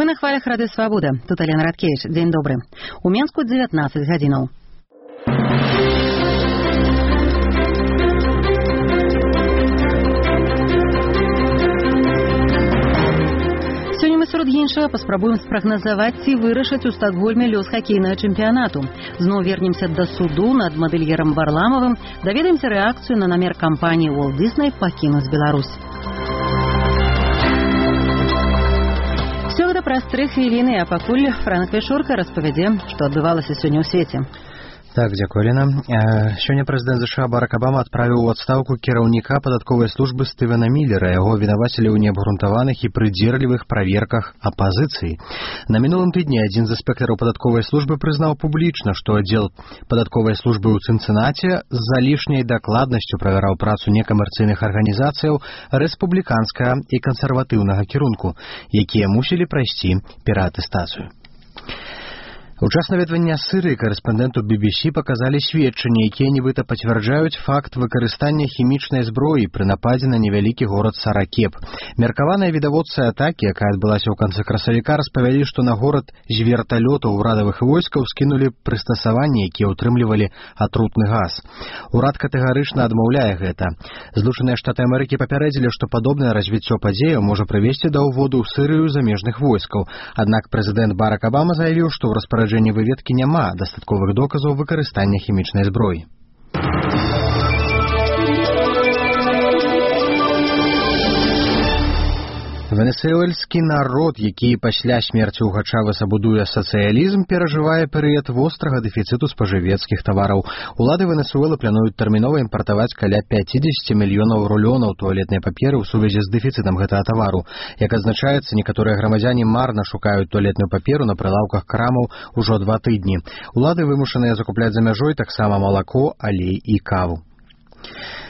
на хвалях Рады Свабода. Тут Алена Радкевич. Дзень добры. У Менску 19 гадзінаў. Сёння мы сярод іншага паспрабуем спрагназаваць, ці вырашаць у Стокгольме лёс хакейнага чэмпіянату. Зноў вернемся да суду над мадэльерам Варламавым, даведаемся рэакцыю на намер кампаніі Walt Disney пакінуць Беларусь. Все гэта праз 3 хвіліны, а пакуль Франак Вячорка распавядзе, што адбывалася сёння ў свеце. Так, дзякуй, Лена. Сёння прэзідэнт США Барак Абама адправіў у адстаўку кіраўніка падатковай службы Стывена Міллера. Яго вінавацілі ў неабгрунтаваных і прыдзірлівых праверках апазіцыі. На мінулым тыдні адзін з інспектараў падатковай службы прызнаў публічна, што аддзел падатковай службы ў Цынцынаце з-за лішняй дакладнасцю правяраў працу некамерцыйных арганізацыяў рэспубліканскага і кансерватыўнага кірунку, якія мусілі прайсці пераатэстацыю. У час наведвання Сырыі корэспандэнту BBC паказалі сведчанні, якія нібыта пацвярджаюць факт выкарыстання хімічнай зброі пры нападзе на невялікі горад Саракеп. Меркаваныя відавочцы атакі, якая адбылася ў канцы красавіка, распавялі, што на горад з верталётаў урадавых войскаў скінулі прыстасаванні, якія ўтрымлівалі атрутны газ. Урад катэгарычна адмаўляе гэта. Злучаныя Штаты Амерыкі папярэдзілі, што падобнае развіццё падзеяў можа прывесці да ўводу ў Сырыю замежных войскаў. Аднак прэзідэнт Барак Абама заявіў, што ў распараджэнні выведкі няма дастатковых доказаў выкарыстання хімічнай зброі. Венесуэльскі народ, які пасля смерці ўгачавы сабудуе сацыялізм, перажывае перыяд вострага дэфіцыту спажывецкіх тавараў. Улады Венесуэлы плануюць тэрмінова імпартаваць каля 50 мільёнаў рулёнаў туалетнай паперы ў сувязі з дэфіцытам гэтага тавару. Як адзначаецца, некаторыя грамадзяне марна шукаюць туалетную паперу на прылаўках крамаў ужо 2 тыдні. Улады вымушаныя закупляць за мяжой таксама малако, алей і каву.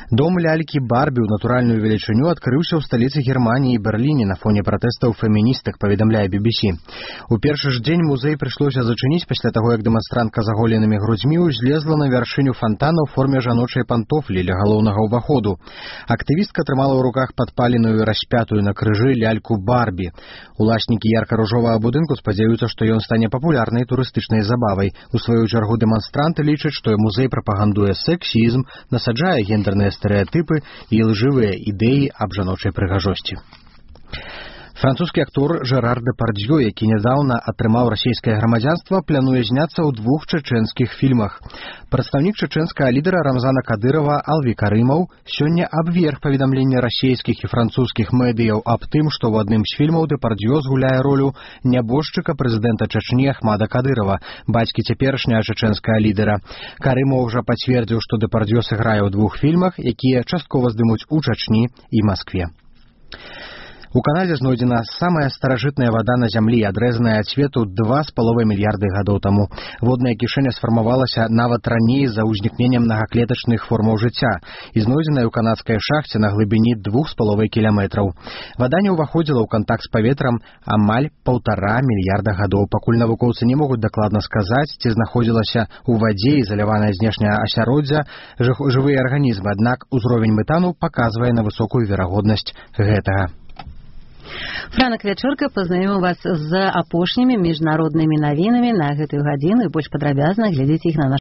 Дом лялькі Барбі ў натуральную велічыню адкрыўся ў сталіцы Германіі і Берліне на фоне пратэстаў феміністак, паведамляе BBC. У першы ж дзень музей прыйшлося зачыніць пасля таго, як дэманстрантка з аголенымі грудзьмі ўзлезла на вяршыню фантана ў форме жаночай пантофлі ля галоўнага ўваходу. Актывістка трымала ў руках падпаленую распятую на крыжы ляльку Барбі. Уласнікі ярка-ружовага будынку спадзяюцца, што ён стане папулярнай турыстычнай забавай. У сваю чаргу дэманстранты лічаць, што музей прапагандуе сексізм, насаджае гендерныя стэрэатыпы і лжывыя ідэі аб жаночай прыгажосці. Французскі актор Жерар Дэпардзё, які нядаўна атрымаў расійскае грамадзянства, плануе зняцца ў 2 чэчэнскіх фільмах. Прадстаўнік чэчэнскага лідара Рамзана Кадырова Алві Карымаў сёння абверг паведамленне расійскіх і французскіх медыяў аб тым, што ў адным з фільмаў Дэпардзё згуляе ролю нябожчыка прэзідэнта Чачні Ахмада Кадырова, бацькі цяперашняга чэчэнскага лідара. Карымаў ўжо пацвердзіў, што Дэпардзё сыграе ў 2 фільмах, якія часткова здымуць у Чачні і Маскве. У Канадзе знойдзена самая старажытная вада на зямлі, адрэзаная ад свету 2,5 мільярды гадоў таму. Водная кішэня сфармавалася нават раней за ўзнікненнем многаклетачных формаў жыцця і знойдзеная ў канадскай шахце на глыбіні 2,5 кіламетраў. Вада не ўваходзіла ў кантакт з паветрам амаль 1,5 мільярда гадоў. Пакуль навукоўцы не могуць дакладна сказаць, ці знаходзілася ў вадзе ізаляванае знешняе асяроддзе жывыя арганізмы, аднак узровень метану паказвае на высокую верагоднасць гэтага. Франак Вячорка пазнаёміў вас з апошнімі міжнароднымі навінамі на гэтую гадзіну і больш падрабязна глядзіце іх на